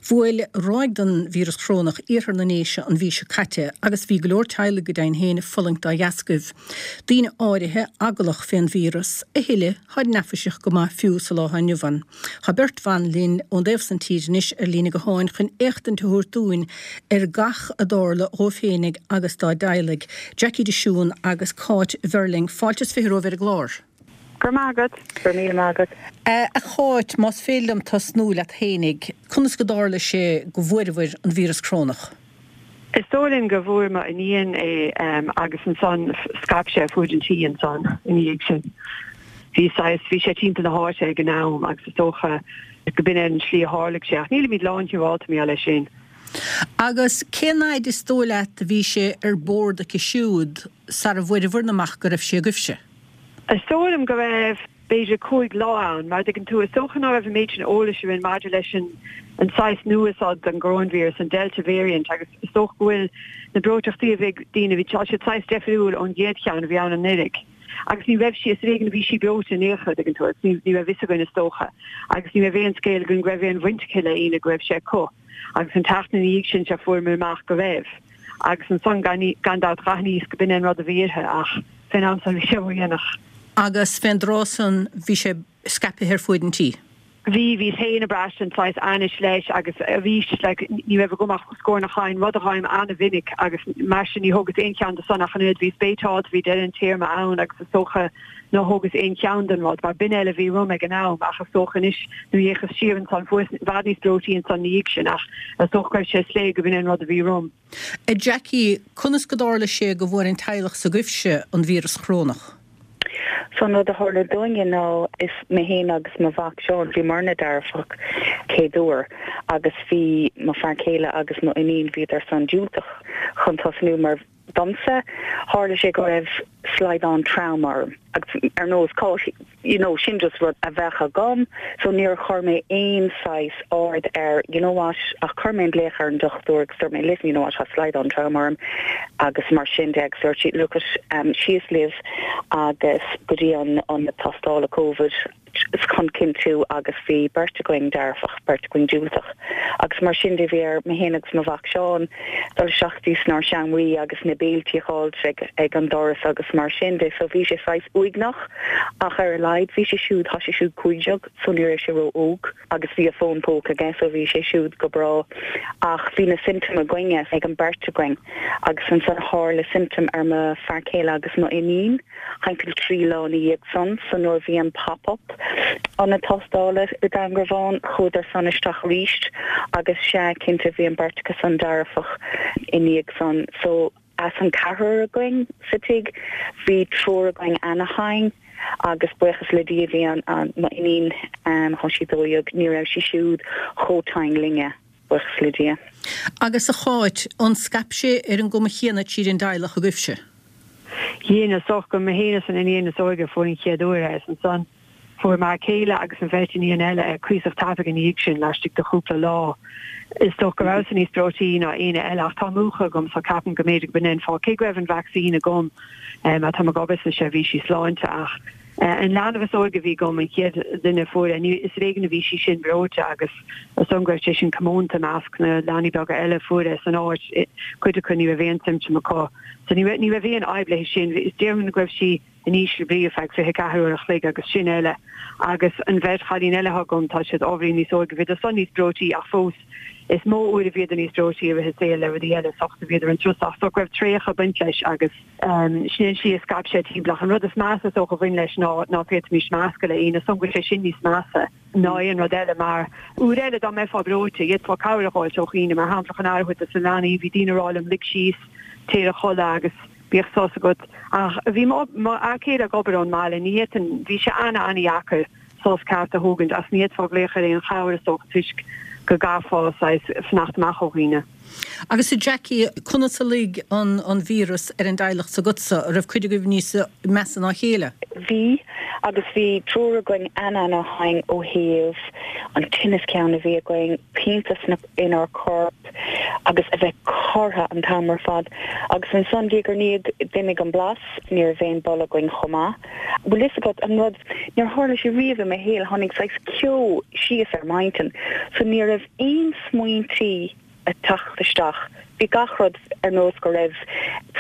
Bhuail ráig den víreas chorónach iarthar na nDéise an mhí seo caite agus bhí go leor teaghlaigh go deimhin féin ag fulaingt dá dheascaibh. Daoine áirithe eaglach fén víreas, a thuilleadh tháid neafaiseach go maith fiú sa lá atá inniu ann. Tá beirt bhan linn ón dtaobh san tíre anois ar líne gutháin chun éachtaint a thabhairt dúinn ar gach a dtarla dhóibh féinig agus dá dteaghlaigh, Jackie de Siún agus Cáit Verling. Fáilte is 20 romhaibh ar an gclár. Go raibh maith agat. Go raibh míle maith agat. A Cháit, más féidir liom tosnú leat fhéinig, conas go dtarla sé go bhfuaireabhair an víreas corónach? Is dóigh linn go bhfuair mo iníon é agus ansan scaip sé fuaid an tí ansan ina dhiaidh sin. Bhí saghas, bhí sé timpeall na háite ag an am agus is dócha go b'in é an tslí a tharlaigh sé ach nílimid lán-shiúráilte mar gheall air sin. Agus cén fhaid is dóigh leat a bhí sé ar bord aici siúd sara bhfuaireabhair amach go raibh sé agaibhse? Is dóigh liom go raibh. b'fhéidir 5 lá ann. Mar a dtuigeann tú, is dócha ná raibh an méid sin eolais againn maidir leis an an saghas nua seo den gcoróinvíreas, an Delta variant, agus is dócha go bhfuil na breoiteachtaí a bhí ag daoine, bhí, tá siad saghas deifriúil ón gcéad cheann a bhí ann anuraidh. Agus ní raibh sí, is ar éigean a bhí sí breoite in aon chor, a dtuigeann tú, agus ní, ní raibh fhios againn is dócha. Agus ní raibh aon scéal againn go raibh aon bhaint aici le aoinne go raibh sé acu. Agus an tseachtain ina dhiaidh sin, sea, fuaireamar amach go raibh. Agus ansan, gan, gan dabht, dh'aithníos go b'in é an rud a bhí uirthi, ach fén am san bhí sé ródhéanach. Agus fén dtráth san bhí sé scaipthe ar fuaid an tí. Bhí, bhíos féin ag braistint saghas ainnis leis agus arís, like, ní raibh agam ach scornach thinn, rud a fhaighim an-mhinic agus mar sin ní thógas aon cheann de san ach an oiread, bhíos béiteáilte, bhí deireadh an téarma ann agus is dócha nár thógas aon cheann den rud mar b'in eile a bhí romham ag an am ach is dócha anois nuair a fhéachas siar ansan fuaireas i bhfad níos breoití ansan ina dhiaidh sin ach is dócha go raibh sé soiléir go b'in é an rud a bhí romham. A Jackie, conas go dtarla sé go bhfuair an teaghlach s'agaibhse an víreas chorónach? So an rud a tharla dúinne ná is mé féin agus mo mhac Seán, bhíomarna dearfach chéad uair agus bhí mo fear céile agus mo iníon, bhíodar san diúltach chun tosnú mar Domsa, tharla sé go raibh slaghdán trom orm agus ar nós Cáit, you know, sin just rud a bheadh agam so níor chuir mé aon saghas aird air, you know what, ach chuir mé an glaoch ar an dochtúir agus dúirt mé listen, you know what, tá slaghdán trom orm agus mar sin de agus dúirt sí look it, um, síos libh agus go dtí an ionad tástála Covid. chun cinntiú agus bhí beirt againn dearfach, beirt againn diúltach agus mar sin de bhí ar mé féin agus mo mhac Seán dul isteach dtí snár seomraí agus na béiltí a fháilt ag ag an doras agus mar sin de so bhí sé saghas uaigneach ach ar a laghad bhí sé siúd, tá sé siúd 15 so ní raibh sé ró óg agus bhí a fón póca aige so bhí sé siúd go breá ach bhí na symptoim againne ag an beirt againn agus ansan tharla symptom ar mo fear céile agus mo iníon. Timpeall 3 lá ina dhiaidh san, so nuair a bhí an pop up ionad tástála i dTangarván, chuadar san isteach arís agus sea, cinnte, bhí an beirt acu san dearfach i ndiaidh san. So as an ceathrar againn sa tigh, bhí triúr againn ana-thinn agus buíochas le Dia bhí an, an, mo iníon, tá sí 12, ní raibh sí siúd chomh tinn linne. Buíochas le Dia. Agus a Cháit, an scaip sé ar an gcuma chéanna tríd an dteaghlach agaibhse? Dhein, is dócha gur mé féin is an iníon is óige a fuair an chéad uair é, is ansan fuair m'fhear céile agus an bheirt iníon eile é cuíosach tapaidh ina dhiaidh sin, laistigh de chúpla lá. Is dócha go rabhas-sa níos breoití ná éinne eile, ach tá múchadh agam so ceapaim go mb'fhéidir go b'in é an fáth, cé go raibh an vacsaín agam, má tá mé ag obair sna seirbhísí sláinte, ach an leanbh is óige a bhí agam, an chéad duine a fuair é, ní, is ar éigean a bhí sí sin breoite agus is dóigh liom go raibh sé sin comónta i measc na leanaí beaga eile a fuair é san áit, cuid acu ní raibh aon symptom acu. So ní raibh, ní raibh aon fhadhb léi sin. Is déarfainn go raibh sí in ísle brí ar feadh 24 uair a chloig agus sin eile. Agus an bheirt chailín eile atá agam, tá siad ábhairín níos óige, bhíodar san níos breoití ach fós is mó uair a bhíodar níos breoití i rith a saoil le rudaí eile, is dócha bhíodar an tuirseach, so go raibh traochadh ag baint leis agus sin an tslí a scaip sé timpeall. Ach an rud is measa is dócha a bhain leis ná ná féadfaimis meascadh le aoinne, is dóigh liom go bhfuil sé sin níos measa ná aon rud eile mar uair eile dá mbeifeá breoite, d'fhéadfá cabhair a dh'fháilt ó dhaoine, mar shampla chun aire a thabhairt dos na leanaí, bhí daoine ag rá liom lig síos, téir a chodladh agus bíodh sos agat. Ach bhí mo fhear céile ag obair ón mbaile, ní fhéadfainn, bhí sé ana-ana-dheacair sos ceart a thógaint ach ní fhéadfá glaoch ar aon chabhair is dócha toisc go gcaithfeá saghas fanacht amach ó dhaoine. Agus a Jackie, conas a luigh an an víreas ar an dteaghlach s'agatsa? An raibh cuid agaibh níos measa ná a chéile? Bhí, agus bhí triúr againn an-ana-thinn ó thaobh an tinneas ceann a bhí againn, pianta sna, inár corp. agus a bheith cortha an t-am ar fad. Agus ansan, diaidh ar ndiaidh, d'imigh an blas, ní raibh aon boladh againn chomh maith. Bhfuil fhios agat an rud, níor tharla sé riamh i mo shaol, tháinig saghas ceo síos ar m'intinn, so ní raibh aon smaointí ag teacht isteach. Bhí gach rud ar nós go raibh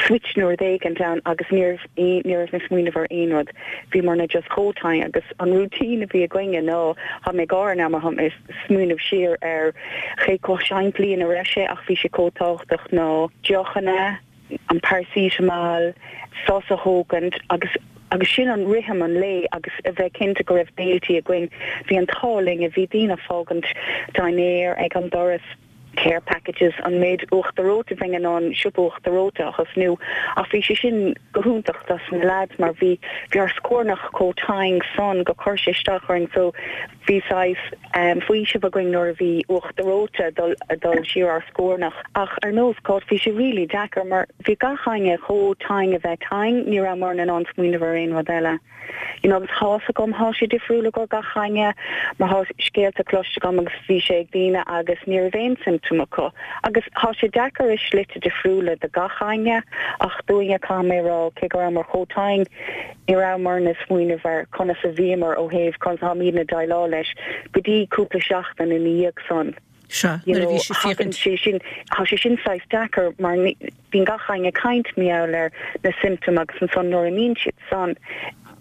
switch nó rud éigint ann agus ní raibh aon, ní raibh mé ag smaoineamh ar aon rud. Bhíomarna just chomh tinn agus an routine a bhí againne ná, tá mé ag gáire now mar tá mé ag smaoineamh siar ar cé chomh simplí ina raibh sé ach bhí sé chomh tábhachtach ná deochanna, an paracetamol, sos a thógaint agus agus sin an rithim an lae agus a bheith cinnte go raibh béiltí againn. Bhí an t-ádh linn, bhí daoine ag fágaint dinnéar ag an doras, care packages, an méid uachtar reoite bheinn in ann siopa uachtar reoite a thosnú ach bhí sé sin go hiontach dos na leaids mar bhí bhí ár scornach chomh tinn san go chuir sé isteach orainn so Bhí saghas faoiseamh againn nuair a bhí uachtar reoite ag dul siar ár scornach ach ar nós Cáit bhí sé really deacair mar bhí gach éinne chomh tinn a bheith tinn, ní rabhamar in ann smaoineamh ar aon rud eile. You know agus thá's agam thá sé difriúil i gcomhair gach éinne mar thá scéalta cloiste agam agus bhí sé ag daoine agus ní raibh aon symptom acu agus thá sé deacair i slite difriúla do gach éinne ach dúinne caithfidh mé a rá cé go rabhamar chomh tinn Ní rabhamarna ag smaoineamh ar conas a bhíomar ó thaobh conas atáimidne ag déileáil leis go dtí cúpla seachtain ina dhiaidh san. Sea, nuair a bhí sé féachaint. Sé sin, tá sé sin saghas deacair mar bíonn gach éinne ag caint mar gheall ar na symptoms agus ansan nuair a imíonn siad san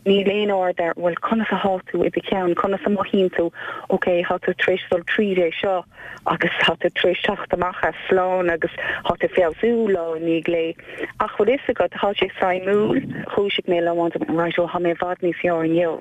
níl aon aird ar bhuel conas athá tú i do cheann, conas a mothaíonn tú, ok thá tú tar éis dul tríd é seo agus thá tú tar éis teacht amach as slán agus thá tú ag feabhsú lá i ndiaidh lae. Ach bhfuil fhios agat, thá sé suimiúil, dhúisigh mé lá amháin dúirt mé, right, ó thá mé i bhfad níos fearr inniu.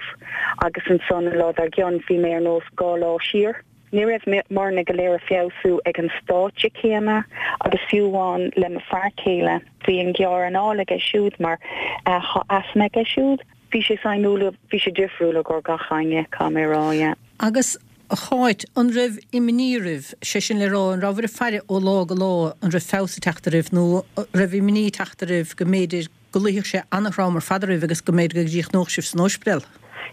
Agus ansan an lá dár gcionn bhí mé ar nós 2 lá siar. Ní raibh muidne go léir ag feabhsú ag an stáitse céanna agus fiú amháin le mo fear céile, bhí an gearr anáil aige siúd mar thá asma aige siúd. Bhí sé suimiúil, bhí sé difriúil i gcomhair gach éinne, caithfidh mé a rá, yeah. Agus a Cháit, an raibh imní oraibh, sé sin le rá, an rabhabhair ag faire ó lá go lá an raibh feabhas ag teacht oraibh nó an raibh imní ag teacht oraibh go mb'fhéidir go luífeadh sé an-throm ar fad oraibh agus go mb'fhéidir go gcríochnódh sibh san óispidéal?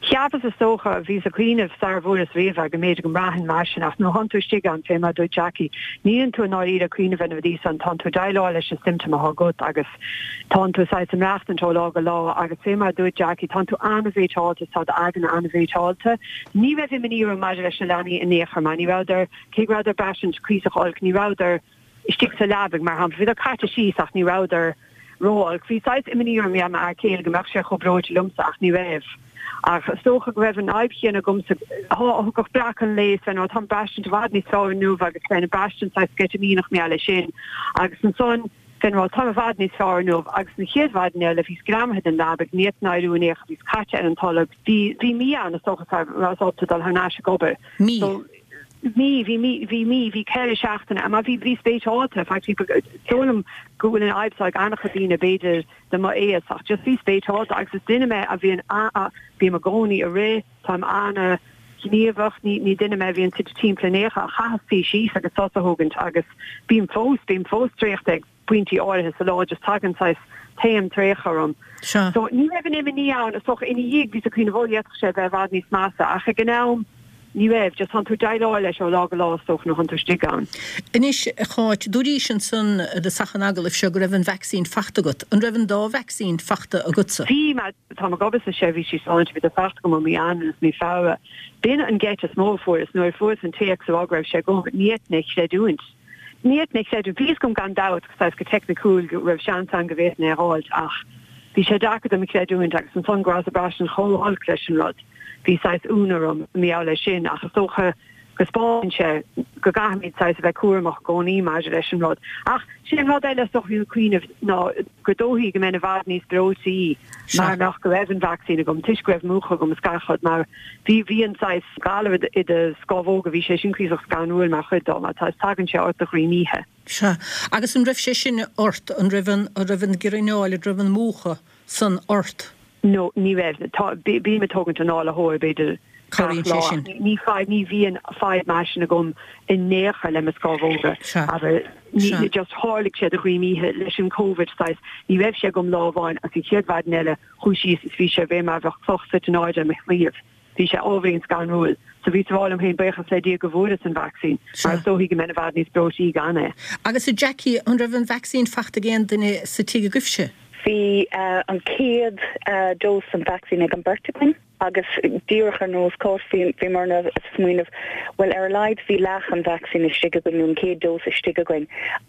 Cheapas is dócha, bhíos ag cuimhneamh sara bhfuaireas riamh é go mb'fhéidir go mbraithfinn mar sin ach nuair a thánn tú istigh ann, fé mar a dúirt Jackie, níleann tú i ndáiríre ag cuimhneamh ar na rudaí san, tánn tú ag déileáil leis na symptoms athá agat agus Tánn tú saghas ag maireachtaint ó lá go lá agus fé mar a dúirt Jackie, tánn tú an-bhreoiteáilte is tá d'aigne an-bhreoiteáilte. Ní raibh imní orm maidir leis na leanaí in aon chor mar ní rabhadar, cé go rabhadar ag braistint cuíosach olc, ní rabhadar istigh sa leabaidh mar shampla. Bhíodar caite síos ach ní rabhadar ró-olc. Bhí saghas imní orm mar m'fhear céile go mbeadh sé chomh breoite liomsa ach ní raibh. Ach is dócha go raibh an fhadhb chéanna agamsa. Thiocfadh breacadh an lae is bheinn, ó táim ag braistint i bhfad níos fearr inniu agus bheinn ag braistint saghas sceitimíneach mar gheall air sin. Agus ansan, Bheinn rá táim i bhfad níos fearr inniu agus an chéad mhaidin eile bhíos greamaithe den leabaidh, ní fhéadfainn éiriú in aon chor, bhíos caite ar an tolg, bhí, bhí mí ann is dócha sara rabhas ábalta dul thar n-ais ag obair. Mí? So, mí, bhí mí, bhí mí, bhí 4 seachtaine, mar bhí, bhíos breoiteáilte, in fact bhí, is dóigh liom go bhfuil an fhadhb seo ag an-chuid daoine b'fhéidir de m'aois ach just bhíos breoiteáilte agus is duine mé a bhíonn a, bím i gcónaí ag rith, táim ana ghníomhach, ní, ní duine mé a bhíonn suite timpeall in aon chor, ach chaitheas suí síos agus sos a thógaint agus bím fós, bím fós traochta ag pointí áirithe sa lá, just tagann saghas taom traochta orm. Sea. So ní raibh an imní ann, is dócha ina dhiaidh bhíos ag cuimhneamh ó d'fhéadfadh sé a bheith i bhfad níos measa ach ag an am ní raibh, just tánn tú ag déileáil leis ó lá go lá is dócha nuair thánn tú istigh ann. Anois a Cháit, dúraís ansan i dtosach an agallaimh seo go raibh an vacsaín fachta agat. An raibh an dá vacsaín fachta agatsa? Bhí, mar Táim ag obair sna seirbhísí sláinte, bhí siad fachta agam ó mí Eanáir is mí Feabhra. B'in an geit is mó a fuaireas nuair a fuaireas an téacs a rá go raibh sé agam, ní fhéadfainn é a chreidiúint. Ní fhéadfainn é a chreidiúint. Bhí fhios agam gan dabht, saghas go teicniciúil, go raibh seans ann go bhféadfainn é a dh'fháilt ach bhí sé deacair dom a chreidiúint agus ansan go rabhas ag braistint chomh holc leis an rud. Bhí saghas ionadh orm mar gheall air sin ach is dócha go 'spáineann sé go gcaithfimid saghas a bheith cúramach i gcónaí maidir leis an rud. Ach sé an rud eile is dócha a bhím ag cuimhneamh ná gur dóichí go mbeinn i bhfad níos breoití mara mbeadh go raibh an vacsaín agam toisc go raibh múchadh agam is gach rud mar bhí bhí an saghas galar i do scámhóga bhí sé sin cuíosach scanrúil mar chuid dó mar tá tagann sé ort de dhroim oíche. Sea. Agus an raibh sé sin ort, an raibh an, an raibh an girrfhineáil, an raibh an múchadh san ort? No, ní raibh. Tá, bím ag tógaint análaitheoir b'fhéidir gach lá. sin. Ní fadhb, ní bhíonn fadhb mar sin agam in aon chor le mo scámhóga. Sea. Abair, ní, Sea. just tharlaigh sé de dhroim oíche leis an Covid saghas, ní raibh sé agam lá amháin agus an chéad mhaidin eile chuaigh síos is bhí sé fé mar a bheadh cloch suite in airde ar mo chliabh. Bhí sé ábhairín scanrúil. So bhíos a rá liom féin, buíochas le Dia go bhfuaireas an vacsaín, mar is dóichí go mbeinn i bhfad níos breoití gan é. Agus a Jackie, an raibh an vacsaín fachta ag aon duine sa tigh agaibhse? Bhí an chéad dose den vacsaín ag an beirt againn agus díreach ar nós Cáit bhíomarna ag smaoineamh, bhuel ar a laghad bhí leath an vacsaín istigh againn nó an chéad dose istigh againn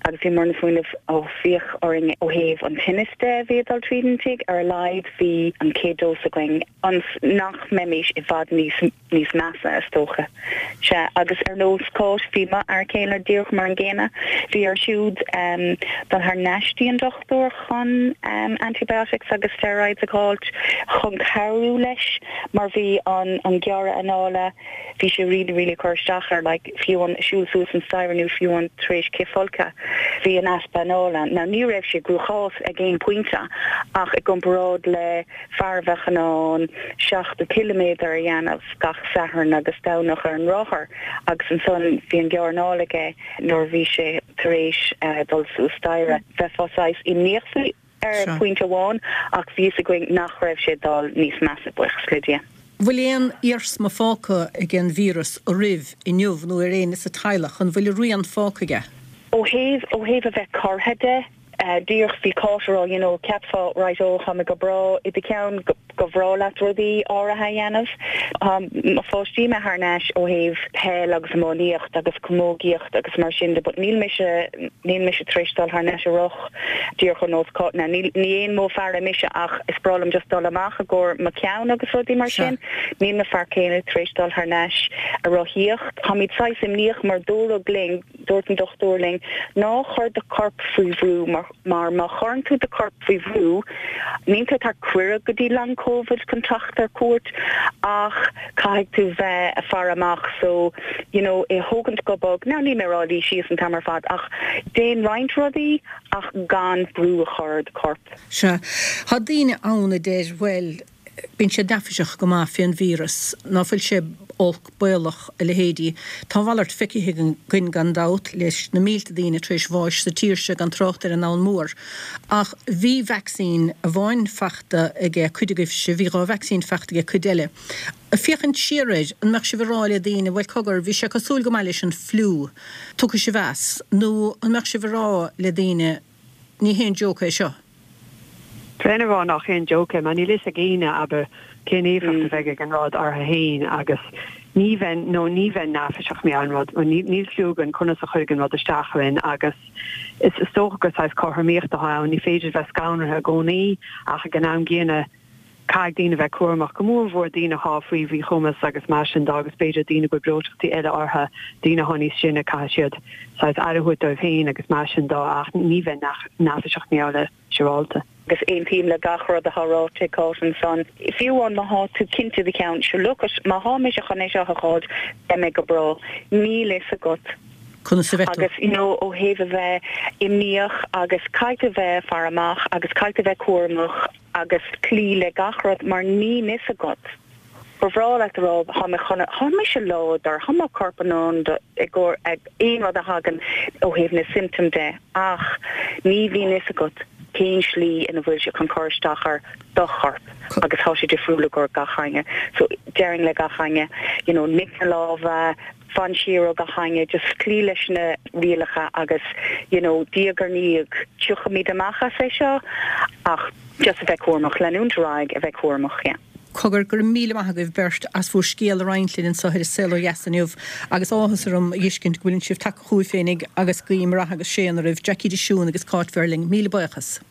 agus bhíomarna ag smaoineamh ó féach orainn ó thaobh an tinnis de a bhí ag dul tríd an tigh, ar a laghad bhí an chéad dose againn ionas nach mbeimis i bhfad níos níos measa, is dócha. Sea, agus ar nós Cáit, bhí m'fhear céile díreach mar an gcéanna. Bhí air siúd dul thar n-ais dtí an dochtúir chun antibiotics agus steroids a dh'fháilt chun cabhrú leis mar bhí an an gearradh anála, bhí sé really, really ag cur isteach air, like, fiú an siúl suas an staighre nó fiú an tar éis cithfholcadh, bhí an easpa anála. Now ní raibh sé i gcruachás ag aon pointe ach i gcomparáid le fear a bheadh in ann 70 ciliméadar a dhéanamh gach Satharn agus Domhnach ar an rothar agus ansan bhí an gearradh anála aige nuair a bhí sé tar éis dul suas staighre. Bheifeá saghas imníoch faoi ar phointe amháin ach bhí fhios againn nach raibh sé ag dul níos measa, buíochas le Dia. Bhfuil aon iarsma fágtha ag an víreas oraibh inniu nó ar éinne sa teaghlach? An bhfuil a rian fágtha aige? Ó thaobh, ó thaobh a bheith cortha de, Díreach bhí Cáit a rá, you know, cheapfá, right, oh, tá mé go breá i do cheann, go bhreá leat rudaí áirithe a dhéanamh. Tá mo pháistí imithe thar n-ais ó thaobh peil agus iománaíocht agus camógaíocht agus mar sin de, but níl mise, níl mise tar éis dul thar n-ais a rith díreach ar nós Cáit. Now, níl, ní aon modh faire mise ach is breá liom just dul amach i gcomhair mo cheann agus rudaí mar sin. Níl mo fear céile tar éis dul thar n-ais a rothaíocht. Táimid saghas imníoch mar dúradh linn, Dúirt an dochtúir linn, ná cuir do chorp faoi bhrú mar mar má chuireann tú do chorp faoi bhrú, níl tú ag tabhairt cuireadh go dtí long covid chun teacht ar cuairt ach caithfidh tú bheith ag faire amach so you know é thógaint go bog, now níl mé ag rá luí síos an t-am ar fad ach déan roinnt rudaí ach gan brú a chur ar do chorp. Sea. Tá daoine ann a deir, bhuel, Bíonn siad neafaiseach go maith fén víreas, ná fuil sé olc, baolach, a leithéidí. Tá a mhalairt feicthe againn gan dabht, leis na mílte daoine tar éis bháis sa tír seo, gan trácht ar an ndomhan mór. Ach bhí vacsaín amháin fachta aige cuid agaibhse, bhí dhá vacsaín fachta aige cuid eile. Ag féachaint siar air, an mbeadh sibh ag rá le daoine, bhuel cogar, bhí sé cosúil go maith leis an fliú, tiocfaidh sibh as, nó an mbeadh sibh ag rá le daoine, ní haon joke é seo? Bheinn ag rá nach aon joke é mar níl fhios ag éinne, abair, cén éifeacht a bheidh ag an rud orthu fhéin agus ní bheinn, nó ní bheinn neafaiseach mar gheall ar an rud, níl cliú againn conas a chuirfidh an rud isteach orainn agus is dócha gur saghas cothromaíocht atá ann, ní féidir bheith scanraithe i gcónaí ach ag an am gcéanna caithfidh daoine bheith cúramach, go mór mhór daoine atá faoi mhíchumas agus mar sin de agus b'fhéidir daoine go bhfuil breoiteachtaí eile orthu, daoine atá níos sine, caithfidh siad saghas aire a thabhairt dóibh féin agus mar sin de ach ní bheinn neafaiseach mar gheall air, siúráilte. Agus aontaím le gach rud atá ráite ag Cáit ansan. Fiú amháin má thá tú cinnte i do cheann, sure look it, má thá mise chun é seo a dh'fháilt, beidh mé go breá. Níl fhios agat. Conas a bheidh tú? Agus you know ó thaobh a bheith imníoch agus caithfidh tú bheith ag faire amach agus caithfidh tú bheith cúramach, agus cloí le gach rud mar níl fhios agat. Ba bhreá leat a rá thá mé chun, thá mise láidir, thá mo corp in ann do, i gcomhair aon rud a thagann ó thaobh na symptom de ach ní bhíonn fhios agat cén slí ina bhfuil sé chun cur isteach ar do chorp agus thá sé difriúil i gcomhair gach éinne. So déarfainn le gach éinne, you know, nigh na lámha, fan siar ó gach éinne, just cloí leis na rialacha agus you know diaidh ar ndiaidh tiocfaimid amach as é seo ach just a bheith cúramach, leanúint ar aghaidh a bheith cúramach, yeah. Cogar, go raibh míle maith agaibh beirt as bhur scéal a roinnt linn anseo ar An Saol Ó Dheas inniu agus áthas orm a fheiscint go bhfuileann sibh tagtha chugaibh féinig agus guím rath agus séan oraibh, Jackie de Siún agus Cáit Verling. Míle buíochas.